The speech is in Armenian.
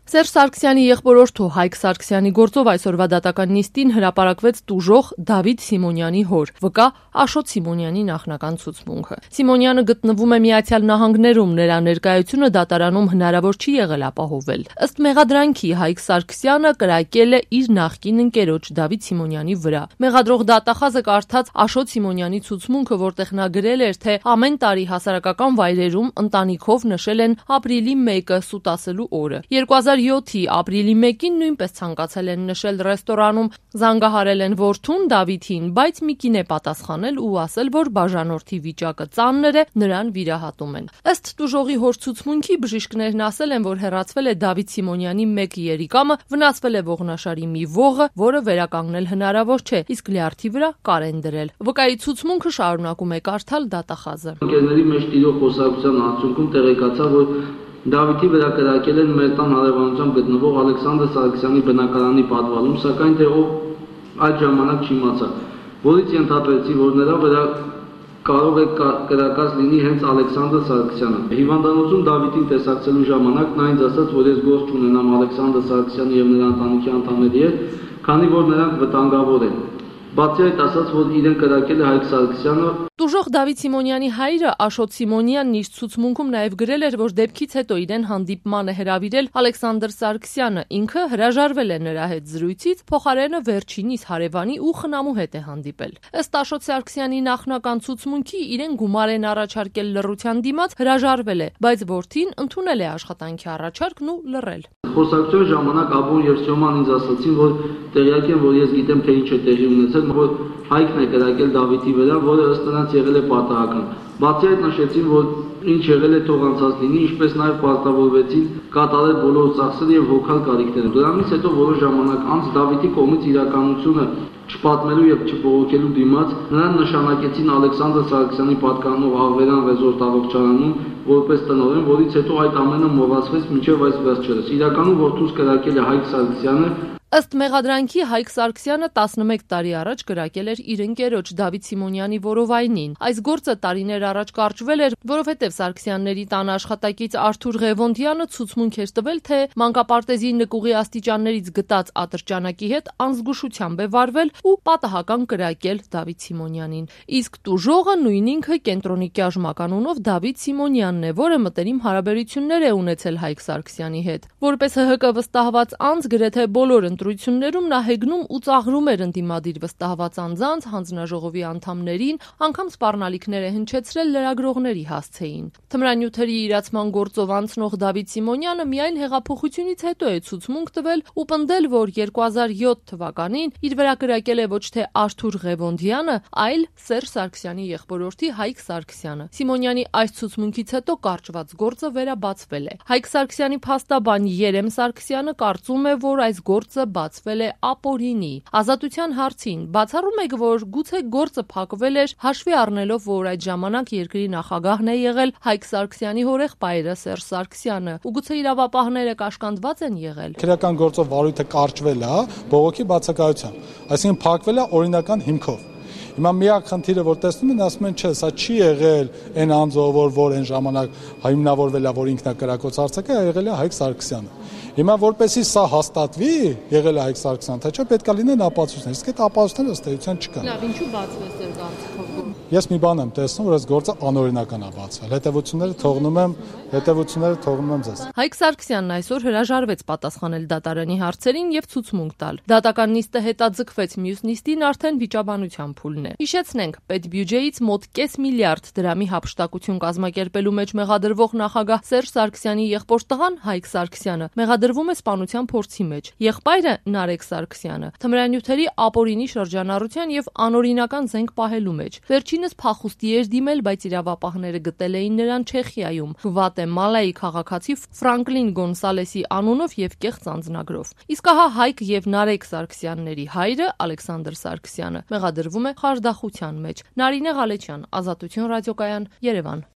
Սերժ Սարգսյանի եղբորորդու Հայկ Սարգսյանի գործով այսօրվա դատական նիստին հրապարակվեց տուժող Դավիթ Սիմոնյանի հոր, վկա Աշոտ Սիմոնյանի նախնական ցուցմունքը։ Սիմոնյանը գտնվում է Միացյալ Նահանգներում, նրա ներկայությունը դատարանում հնարավոր չի եղել ապահովել։ Ըստ մեղադրանքի Հայկ Սարգսյանը կրակել է իր նախկին ընկերոջ Դավիթ Սիմոնյանի վրա։ Մեղադրող դատախազը կարդաց Աշոտ Սիմոնյանի ցուցմունքը, որտեղ նա գրել էր, թե ամեն տարի հասարակական վայրերում ընտանիքով նշել են ապրիլի 1-ը սուտ ասելու օրը։ 2007-ի ապրիլի 1-ին նույնպես ցանկացել են նշել ռեստորանում, զանգահարել են որդուն Դավիթին, բայց մի կին է պատասխանել ու ասել, որ բաժանորդի վիճակը ծանր է, նրան վիրահատում են։ Ըստ տուժողի հոր ցուցմունքի բժիշկներն ասել են, որ հեռացվել է Դավիթ Սիմոնյանի 1 երիկամը, վնասվել է ողնաշարի մի ողը, որը վերականգնել հնարավոր չէ, իսկ լյարդի վրա կար են դրել։ Վկայի ցուցմունքը շարունակում է կարդալ դատախազը։ Ընկերների մեջ տիրող խոսակցության արդյունքում տեղեկացա, որ Դավիթի վրա կրակել են մեր տան հարևանությամբ գտնվող Ալեքսանդր Սարգսյանի բնակարանի պատվալում, սակայն թե ով այդ ժամանակ չիմացա, որից ենթադրեցի, որ նրա վրա կարող է կրակած լինի հենց Ալեքսանդր Սարգսյանը։ Հիվանդանոցում Դավիթին տեսակցելու ժամանակ նա ինձ ասաց, որ ես գործ չունենամ Ալեքսանդր Սարգսյանի եւ նրա ընտանիքի անդամների հետ, քանի որ նրանք վտանգավոր են։ Բացի այդ ասաց, որ իրեն կրակել է Հայկ Սարգսյանը։ Տուժող Դավիթ Սիմոնյանի հայրը Աշոտ Սիմոնյանն իր ցուցմունքում նաև գրել էր, որ դեպքից հետո իրեն հանդիպման է հրավիրել Ալեքսանդր Սարգսյանը, ինքը հրաժարվել է նրա հետ զրույցից, փոխարենը վերջինիս հարևանի ու խնամու հետ է հանդիպել։ Ըստ Աշոտ Սարգսյանի նախնական ցուցմունքի իրեն գումար են առաջարկել լռության դիմաց, հրաժարվել է, բայց որդին ընդունել է աշխատանքի առաջարկն ու լռել։ Խոսակցության ժամանակ Աբոն եւ Սյոման ինձ ասացին, որ տեղյակ են, որ ես գիտեմ, թե ինչ է տեղի ունեցել, որ Հայկն է կրակել Դավիթի վրա, որը ըստ նրանց եղել է պատահական։ Բացի այդ նշեցին, որ ինչ եղել է թող անցած լինի, ինչպես նաև պարտավորվեցին կատարել բոլոր ծախսերը եւ հոգալ կարիքները։ Դրանից հետո որոշ ժամանակ անց Դավիթի կողմից իրականությունը չպատմելու եւ չբողոքելու դիմաց նրան նշանակեցին Ալեքսանդր Սարգսյանի պատկանող Աղվերյան ռեզորտ առողջարանում որպես տնօրեն, որից հետո այդ ամենը մոռացվեց մինչև այս վերջերս։ Իրականում որդուս կրակել է Հայկ Սարգսյանը։ Ըստ մեղադրանքի Հայկ Սարգսյանը 11 տարի առաջ կրակել էր իր ընկերոջ Դավիթ Սիմոնյանի որովայնին։ Այս գործը տարիներ առաջ կարճվել էր, որովհետև Սարգսյանների տան աշխատակից Արթուր Ղևոնդյանը ցուցմունք էր տվել, թե մանկապարտեզի նկուղի աստիճաններից գտած ատրճանակի հետ անզգուշությամբ է վարվել ու պատահական կրակել Դավիթ Սիմոնյանին։ Իսկ տուժողը նույն ինքը կենտրոնի կյաժմականունով Դավիթ Սիմոնյանն է, որը մտերիմ հարաբերություններ է ունեցել Հայկ Սարգսյանի հետ։ Որպես ՀՀԿ վստահված անձ գրեթե բոլոր ընտրություններում նա հեգնում ու ծաղրում էր ընդդիմադիր վստահված անձանց, հանձնաժողովի անդամներին, անգամ սպառնալիքներ է հնչեցրել լրագրողների հասցեին։ Թմրանյութերի իրացման գործով անցնող Դավիթ Սիմոնյանը միայն հեղափոխությունից հետո է ցուցմունք տվել ու պնդել, որ 2007 թվականին իր վրա կրակել է ոչ թե Արթուր Ղևոնդյանը, այլ Սերժ Սարգսյանի եղբորորդի Հայկ Սարգսյանը։ Սիմոնյանի այս ցուցմունքից հետո կարճված գործը վերաբացվել է։ Հայկ Սարգսյանի փաստաբան Երեմ Սարգսյանը կարծում է, որ այս գործը բացվել է ապօրինի։ Ազատության հարցին բացառում եք, որ գուցե գործը փակվել էր հաշվի առնելով, որ այդ ժամանակ երկրի նախագահն է եղել Հայկ Սարգսյանի հորեղբայրը Սերժ Սարգսյանը, ու գուցե իրավապահները կաշկանդված են եղել։ Քրեական գործով վարույթը կարճվել է բողոքի բացակայությամբ, այսինքն փակվել է օրինական հիմքով։ Հիմա միակ խնդիրը, որ տեսնում են, ասում են, չէ, սա չի եղել այն անձով, որ այն ժամանակ հիմնավորվել է, որ ինքնակրակոց արձակը, եղել է Հայկ Սարգսյանը։ Հիմա որպեսզի սա հաստատվի, եղել է Հայկ Սարգսյանը, թե չէ, պետք է լինեն ապացույցներ, իսկ այդ ապացույցները ըստ էության չկան։ Լավ, ինչու բացվեց ձեր կարծիքով։ Ես մի բան եմ տեսնում, որ այս գործը անօրինական է բացվել։ Հետևությունները թողնում եմ ձեզ։ Հայկ Սարգսյանն այսօր հրաժարվեց պատասխանել դատարանի հարցերին եւ ցուցմունք տալ։ Դատական նիստը հետաձգվեց, մյուս նիստին արդեն վիճաբանության փուլն է։ Հիշեցնենք, պետբյուջեից մոտ կես միլիարդ դրամի հափշտակություն կազմակերպելու մեջ մեղադրվող նախագահ Սերժ Սարգսյանի եղբոր տղան Հայկ Սարգսյանը մեղադրվում է սպանության փորձի մեջ։ Եղբայրը Նարեկ Սարգսյանը թմրանյութերի ապօրինի շրջանառության եւ անօրինական զենք պահելու մեջ։ Վերջինս փախուստի էր դիմել, բայց իրավապահները գտել էին նրան Չեխիայում, Գվատեմալայի քաղաքացի Ֆրանկլին Գոնսալեսի անունով եւ կեղծ անձնագրով։ Իսկ ահա Հայկ եւ Նարեկ Սարգսյանների հայրը Ալեքսանդր Սարգսյանը մեղադրվում է խարդախության մեջ։ Նարինե Ղալեչյան, Ազատություն ռադիոկայան, Երևան։